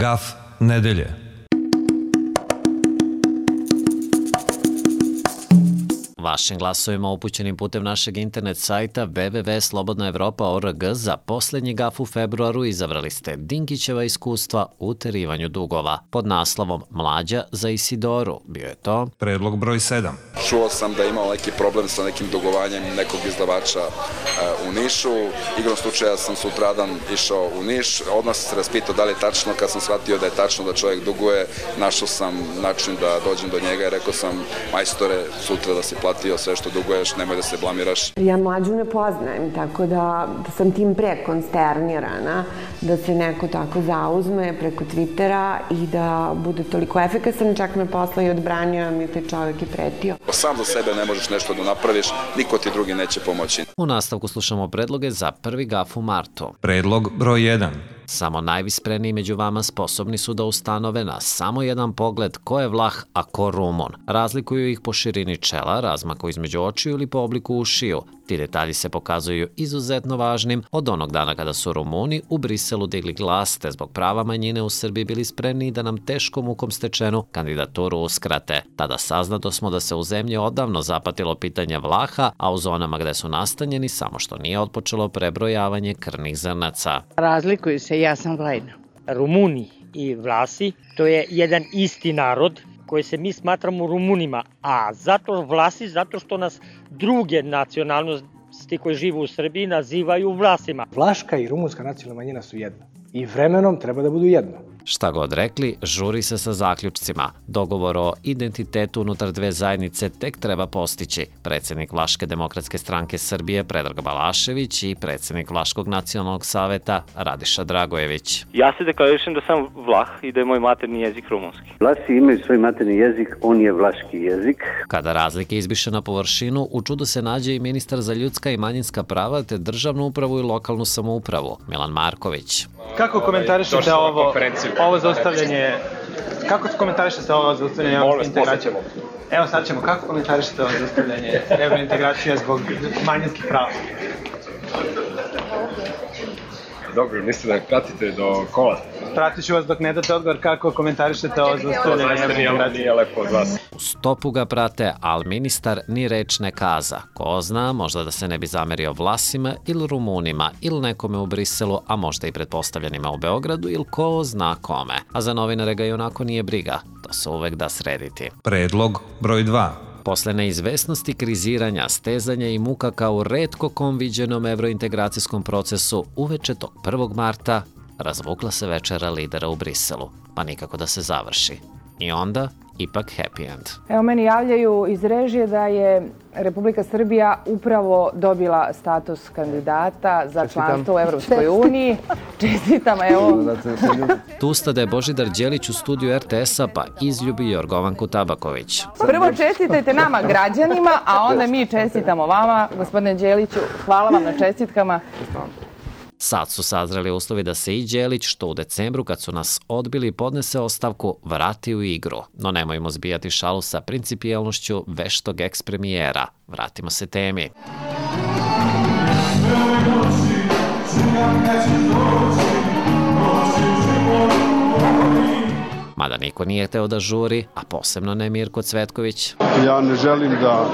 Gaf nedelje. Vašim glasovima upućenim putem našeg internet sajta www.slobodnaevropa.org za posljednji gaf u februaru izabrali ste Dinkićeva iskustva u uterivanju dugova. Pod naslovom Mlađa za Isidoru bio je to Predlog broj 7. Čuo sam da je imao neki problem sa nekim dugovanjem nekog izdavača u Nišu. Igrom slučaja sam sutradan išao u Niš. Odmah sam se raspitao da li je tačno. Kad sam shvatio da je tačno da čovjek duguje, našao sam način da dođem do njega i rekao sam, majstore, sutra da si platio sve što duguješ, nemoj da se blamiraš. Ja Mlađu ne poznajem, tako da sam tim pre konsternirana da se neko tako zauzme preko Twittera i da bude toliko efikasan, čak me posla i odbranio, mi taj čovjek i pretio. Sam za sebe ne možeš nešto da napraviš, niko ti drugi neće pomoći. U nastavku slušamo predloge za prvi gaf u martu. Predlog broj 1. Samo najvispreniji među vama sposobni su da ustanove na samo jedan pogled ko je Vlah, a ko Rumun. Razlikuju ih po širini čela, razmaku između očiju ili po obliku ušiju. Ti detalji se pokazuju izuzetno važnim od onog dana kada su Rumuni u Briselu digli glas te zbog prava manjine u Srbiji bili spremni da nam teškom mukom stečenu kandidaturu uskrate. Tada saznato smo da se u zemlji odavno zapatilo pitanje Vlaha, a u zonama gde su nastanjeni samo što nije otpočelo prebrojavanje krvnih zrnaca. Razlikuju se, ja sam Vlajna. Rumuni i Vlasi, to je jedan isti narod koji se mi smatramo Rumunima, a zato Vlasi, zato što nas druge nacionalnosti koje žive u Srbiji nazivaju Vlasima. Vlaška i rumunska nacionalna manjina su jedno i vremenom treba da budu jedno. Šta god rekli, žuri se sa zaključcima. Dogovor o identitetu unutar dve zajednice tek treba postići. Predsjednik Vlaške demokratske stranke Srbije Predrag Balašević i predsjednik Vlaškog nacionalnog saveta Radiša Dragojević. Ja se deklarišem da sam Vlah i da je moj maternji jezik rumunski. Vlasi imaju svoj maternji jezik, on je vlaški jezik. Kada razlike izbiše na površinu, u čudu se nađe i ministar za ljudska i manjinska prava te državnu upravu i lokalnu samoupravu, Milan Marković. Kako komentarišete ovo zaustavljanje? Kako komentarišete ovo zaustavljanje evrointegracije? Evo sad ćemo, kako komentarišete ovo zaustavljanje evrointegracije zbog manjinskih prava? Dobro, mislite da pratite do kola? Pratit ću vas dok ne date odgovor kako komentarišete ovo zaustavljanje evrointegracije. Nije lepo od vas. U stopu ga prate, ali ministar ni reč ne kaza. Ko zna, možda da se ne bi zamerio Vlasima ili Rumunima ili nekome u Briselu, a možda i pretpostavljenima u Beogradu ili ko zna kome. A za novinare ga i onako nije briga. To se uvek da srediti. Predlog broj 2. Posle neizvesnosti, kriziranja, stezanja i muka kao u retko kom viđenom evrointegracijskom procesu, uveče tog 1. marta razvukla se večera lidera u Briselu, pa nikako da se završi. I onda, ipak happy end. Evo, meni javljaju iz režije da je Republika Srbija upravo dobila status kandidata za članstvo u Evropskoj uniji. Čestitam, evo. Tu stade Božidar Đelić u studiju RTS-a, pa izljubi Jorgovanku Tabaković. Prvo čestitajte nama građanima, a onda mi čestitamo vama, gospodine Đeliću. Hvala vam na čestitkama. Sad su sazreli uslovi da se i Đelić, što u decembru kad su nas odbili i podnese ostavku, vrati u igru. No nemojmo zbijati šalu sa principijelnošću veštog eks-premijera. Vratimo se temi. Mada niko nije hteo da žuri, a posebno ne Mirko Cvetković. Ja ne želim da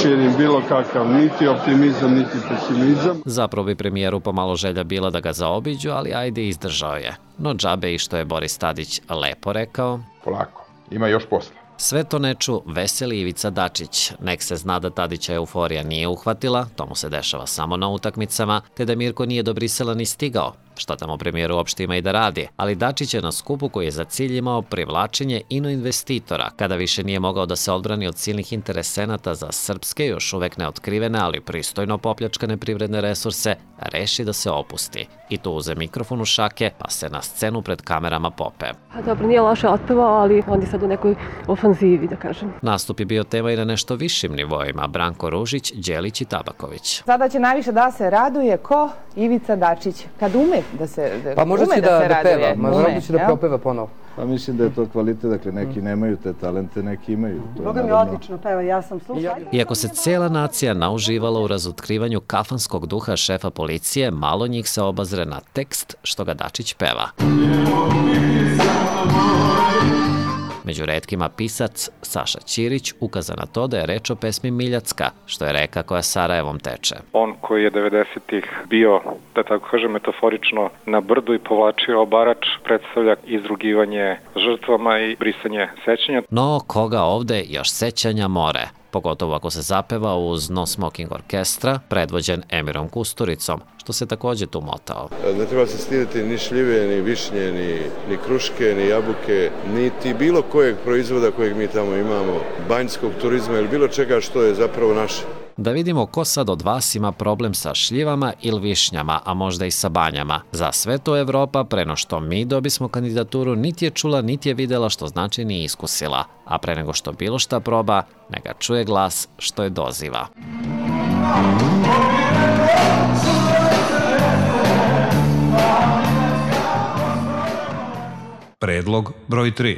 širim bilo kakav niti optimizam, niti pesimizam. Zapravo bi premijeru pomalo želja bila da ga zaobiđu, ali ajde, izdržao je. No džabe i što je Boris Tadić lepo rekao. Polako, ima još posla. Sve to neču veseli Ivica Dačić. Nek se zna da Tadića euforija nije uhvatila, to mu se dešava samo na utakmicama, te da Mirko nije do Brisela ni stigao. Šta tamo premijer uopšte ima i da radi, ali Dačić je na skupu koji je za cilj imao privlačenje inoinvestitora, kada više nije mogao da se odbrani od silnih interesenata za srpske, još uvek neotkrivene, ali pristojno popljačkane privredne resurse, reši da se opusti. I tu uze mikrofon u šake, pa se na scenu pred kamerama pope. Dobro, nije loše otpevao, ali on je sad u nekoj ofanzivi, da kažem. Nastup je bio tema i na nešto višim nivoima, Branko Ružić, Đelić i Tabaković. Sada će najviše da se raduje ko? Ivica Dačić. Kad ume da se raduje. Pa možda će da peva, možda će da propeva ponovo. Pa mislim da je to kvalitet, dakle neki nemaju te talente, neki imaju. Boga mi odlično peva, ja sam slušala. Iako se cijela nacija nauživala u razotkrivanju kafanskog duha šefa policije, malo njih se obazre na tekst što ga Dačić peva. Među retkima pisac Saša Ćirić ukaza na to da je reč o pesmi Miljacka, što je reka koja Sarajevom teče. On koji je 90-ih bio, da tako kažem metaforično, na brdu i povlačio obarač, predstavlja izrugivanje žrtvama i brisanje sećanja. No, koga ovde još sećanja more? Pogotovo ako se zapeva uz No Smoking Orkestra, predvođen Emirom Kusturicom, što se takođe tu motao. Ne treba se stiditi ni šljive, ni višnje, ni kruške, ni jabuke, niti bilo kojeg proizvoda kojeg mi tamo imamo, banjskog turizma ili bilo čega što je zapravo naše. Da vidimo ko sad od vas ima problem sa šljivama ili višnjama, a možda i sa banjama. Za sve to Evropa, preno što mi dobismo kandidaturu, niti je čula, niti je videla, što znači ni iskusila. A pre nego što bilo šta proba, neka čuje glas što je doziva. Predlog broj 3.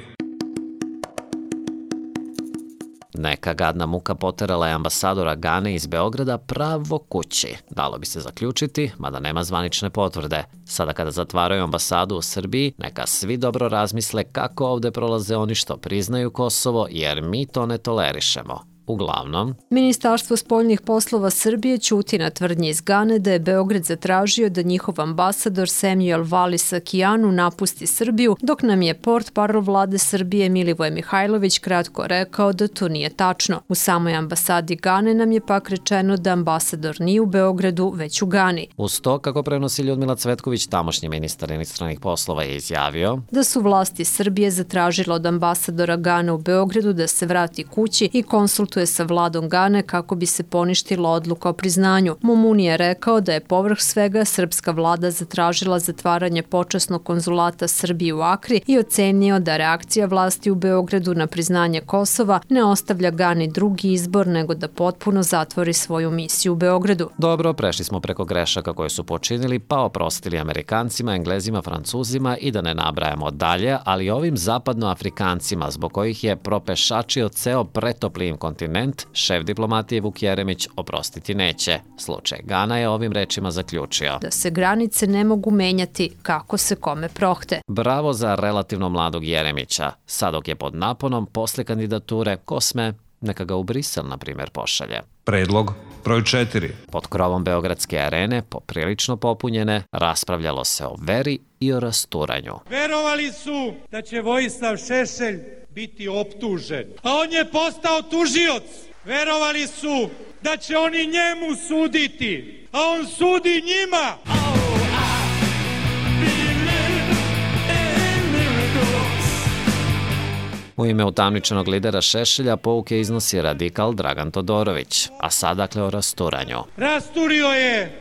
Neka gadna muka poterala je ambasadora Gane iz Beograda pravo kući. Dalo bi se zaključiti, mada nema zvanične potvrde. Sada kada zatvaraju ambasadu u Srbiji, neka svi dobro razmisle kako ovde prolaze oni što priznaju Kosovo, jer mi to ne tolerišemo. Uglavnom, Ministarstvo spoljnih poslova Srbije ćuti na tvrdnje iz Gane da je Beograd zatražio da njihov ambasador Samuel Valis-Akijanu napusti Srbiju, dok nam je portparol vlade Srbije Milivoje Mihajlović kratko rekao da to nije tačno. U samoj ambasadi Gane nam je pak rečeno da ambasador nije u Beogradu, već u Gani. Uz to, kako prenosi Ljudmila Cvetković, tamošnji ministar inostranih poslova, je izjavio da su vlasti Srbije zatražile od ambasadora Gane u Beogradu da se vrati kući i konsultuje sa vladom Gane kako bi se poništila odluka o priznanju. Mumuni je rekao da je povrh svega srpska vlada zatražila zatvaranje počasnog konzulata Srbije u Akri i ocenio da reakcija vlasti u Beogradu na priznanje Kosova ne ostavlja Gani drugi izbor nego da potpuno zatvori svoju misiju u Beogradu. Dobro, prešli smo preko grešaka koje su počinili, pa oprostili Amerikancima, Englezima, Francuzima i da ne nabrajamo dalje, ali ovim zapadnoafrikancima, zbog kojih je propešačio ceo pretopli kontinent, šef diplomatije Vuk Jeremić oprostiti neće. Slučaj Gana je ovim rečima zaključio da se granice ne mogu menjati kako se kome prohte. Bravo za relativno mladog Jeremića. Sad dok je pod naponom posle kandidature, ko sme, neka ga u Brisel, na primjer, pošalje. Predlog broj 4. Pod krovom Beogradske arene, poprilično popunjene, raspravljalo se o veri i o rasturanju. Verovali su da će Vojislav Šešelj biti optužen, a on je postao tužioc. Verovali su da će oni njemu suditi, a on sudi njima. U ime utamničenog lidera Šešelja pouke iznosi radikal Dragan Todorović, a sad dakle o rasturanju. Rasturio je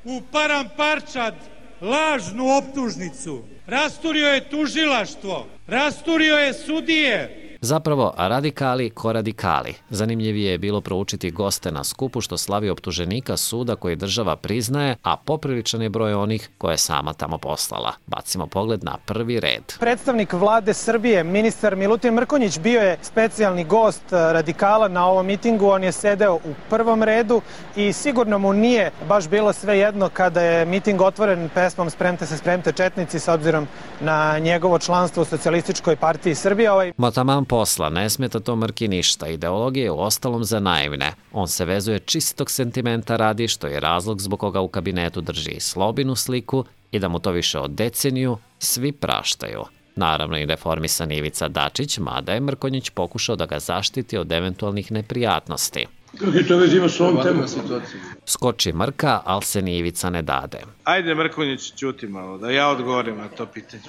u Paramparčad lažnu optužnicu, rasturio je tužilaštvo, rasturio je sudije. Zapravo, radikali ko radikali. Zanimljivije je bilo proučiti goste na skupu što slavi optuženika suda koji država priznaje, a popriličan je broj onih koje je sama tamo poslala. Bacimo pogled na prvi red. Predstavnik vlade Srbije, ministar Milutin Mrkonjić, bio je specijalni gost radikala na ovom mitingu. On je sedeo u prvom redu i sigurno mu nije baš bilo sve jedno kada je miting otvoren pesmom Spremte se, spremte četnici, s obzirom na njegovo članstvo u Socijalističkoj partiji Srbije. Taman posla, ne smeta to Mrki ništa. Ideologija je u ostalom za naivne. On se vezuje čistog sentimenta radi, što je razlog zbog koga u kabinetu drži Slobinu sliku i da mu to više od deceniju svi praštaju. Naravno i reformisan Ivica Dačić, mada je Mrkonjić pokušao da ga zaštiti od eventualnih neprijatnosti. Kako to već ima s ovom temom? Skoči Mrka, ali se ni Ivica ne dade. Ajde, Mrkonjić, ćuti malo, da ja odgovorim na to pitanje.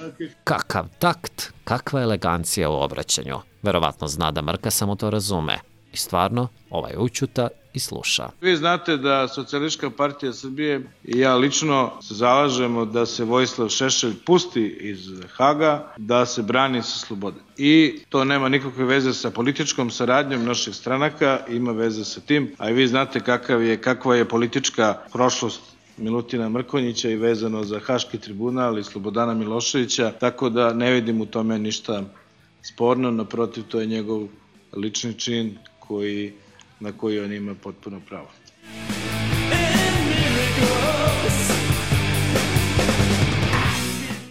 Kakav takt, kakva elegancija u obraćanju. Verovatno zna da Mrka samo to razume. I stvarno, ovaj učuta i sluša. Vi znate da Socijalistička partija Srbije i ja lično se zalažemo da se Vojislav Šešelj pusti iz Haga, da se brani sa slobode. I to nema nikakve veze sa političkom saradnjom naših stranaka, ima veze sa tim, a i vi znate kakva je politička prošlost Milutina Mrkonjića i vezano za Haški tribunal i Slobodana Miloševića, tako da ne vidim u tome ništa sporno, naprotiv, to je njegov lični čin na koji on ima potpuno pravo.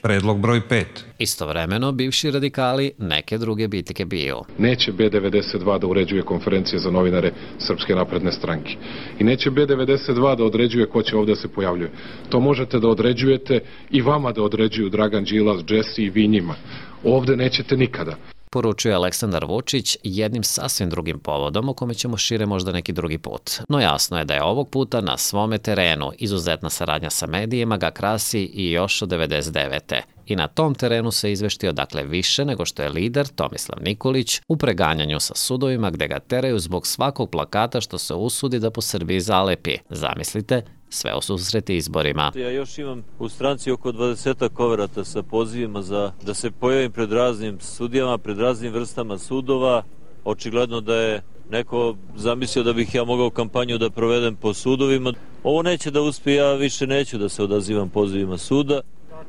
Predlog broj 5. Istovremeno, bivši radikali neke druge bitke biju. Neće B92 da uređuje konferencije za novinare Srpske napredne stranke. I neće B92 da određuje ko će ovde se pojavljuje. To možete da određujete i vama da određuju Dragan Đilas, Jesse i vi njima. Ovde nećete nikada. Poručuje Aleksandar Vučić jednim sasvim drugim povodom o kome ćemo šire možda neki drugi put. No jasno je da je ovog puta na svome terenu izuzetna saradnja sa medijima ga krasi i još od 99. I na tom terenu se izveštio dakle više nego što je lider Tomislav Nikolić u preganjanju sa sudovima gde ga teraju zbog svakog plakata što se usudi da po Srbiji zalepi. Zamislite, sve u susreti izborima. Ja još imam u stranci oko 20 koverata sa pozivima da se pojavim pred raznim sudijama, pred raznim vrstama sudova. Očigledno da je neko zamislio da bih ja mogao kampanju da provedem po sudovima. Ovo neće da uspije, ja više neću da se odazivam pozivima suda.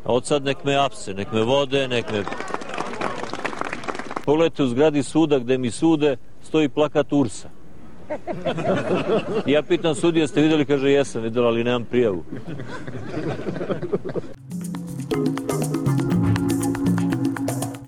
A od sad nek me apse, nek me vode, nek me... Pogledajte, u zgradi suda gde mi sude stoji plakat URS-a. Ja pitam sudija, ste videli? Kaže, jesam videla, ali nemam prijavu.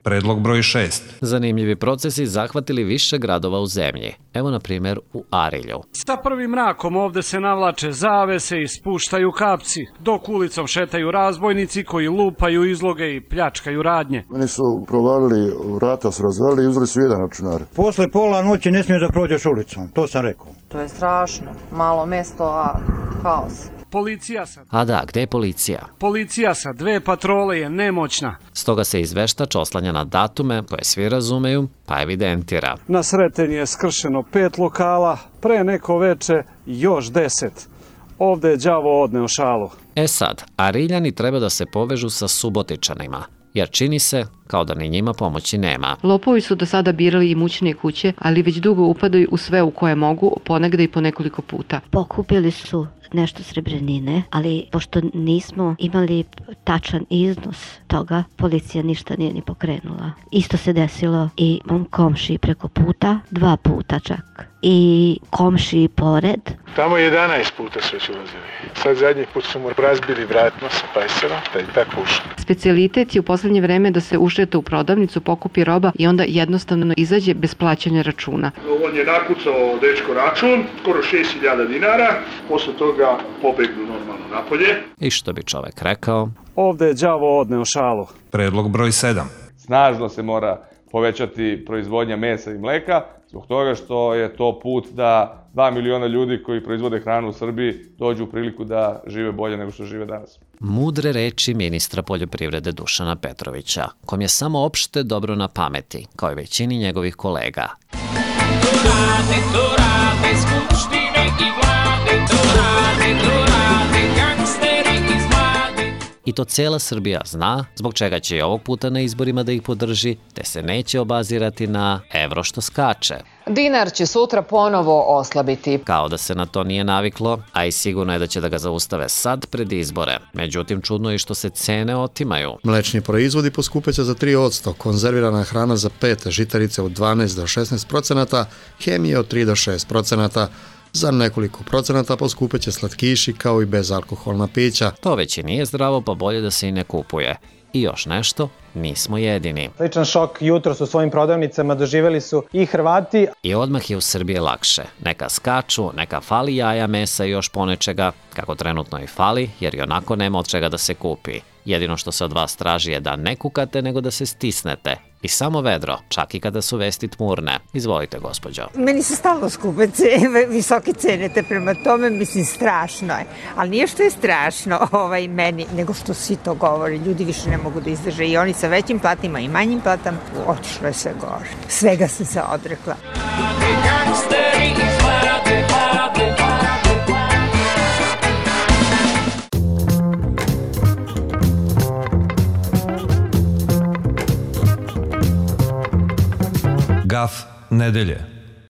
Predlog broj 6. Zanimljivi procesi zahvatili više gradova u zemlji. Evo na primjer u Arilju. Sa prvim mrakom ovde se navlače zavese i spuštaju kapci, dok ulicom šetaju razbojnici koji lupaju izloge i pljačkaju radnje. Oni su provalili, vrata su razvalili i uzeli su jedan računar. Posle pola noći ne smiješ da prođeš ulicom, to sam rekao. To je strašno. Malo mesto, a haos. A da, gde je policija? Policija sa 2 patrole je nemoćna. Stoga se izveštač oslanja na datume koje svi razumeju, pa evidentira. Na Sreten je skršeno 5 lokala, pre neko veče još 10. Ovde je đavo odneo šalu. E sad, Ariljani treba da se povežu sa Subotičanima, jer čini se kao da ni njima pomoći nema. Lopovi su do sada birali imućnije kuće, ali već dugo upadaju u sve u koje mogu, ponegde i po nekoliko puta. Pokupili su nešto srebrnine, ali pošto nismo imali tačan iznos toga, policija ništa nije ni pokrenula. Isto se desilo i mom komšiji preko puta, 2 puta čak. I komšiji pored. Tamo 11 puta su već ulazili. Sad zadnji put su mu razbili vratno sa pajsera, da i tako ušli. Specijalitet je u poslednje vreme da se ušeta u prodavnicu, pokupi roba i onda jednostavno izađe bez plaćanja računa. On je nakucao dečko račun, skoro 6.000 dinara, posle toga pobegnu normalno napolje. I što bi čovek rekao? Ovde je đavo odneo šalu. Predlog broj 7. Snažno se mora povećati proizvodnja mesa i mleka, zbog toga što je to put da 2 miliona ljudi koji proizvode hranu u Srbiji dođu u priliku da žive bolje nego što žive danas. Mudre reči ministra poljoprivrede Dušana Petrovića, kom je samo opšte dobro na pameti, kao i većini njegovih kolega. To rade skupštine i vlade, to rade gangsteri iz vlade. I to cela Srbija zna, zbog čega će i ovog puta na izborima da ih podrži, te se neće obazirati na evro što skače. Dinar će sutra ponovo oslabiti. Kao da se na to nije naviklo, a i sigurno je da će da ga zaustave sad pred izbore. Međutim, čudno je što se cene otimaju. Mlečni proizvodi poskupeće za 3%, konzervirana hrana za 5%, žitarice od 12 do 16%, hemija od 3 do 6%. Za nekoliko procenata poskupeće slatkiši kao i bezalkoholna pića. To već i nije zdravo, pa bolje da se i ne kupuje. I još nešto, nismo jedini. Sličan šok jutros u svojim prodavnicama doživeli su i Hrvati. I odmah je u Srbiji lakše. Neka skaču, neka fali jaja, mesa i još ponečega, kako trenutno i fali, jer i onako nema od čega da se kupi. Jedino što se od vas traži je da ne kukate, nego da se stisnete. I samo vedro, čak i kada su vesti tmurne. Izvolite, gospođo. Meni se stalno skupe visoke cene, te prema tome, mislim, strašno je. Ali nije što je strašno meni, nego što svi to govori. Ljudi više ne mogu da izdrže. I oni sa većim platima i manjim platama, otišlo je sve gore. Svega sam se odrekla. Gaf nedelje.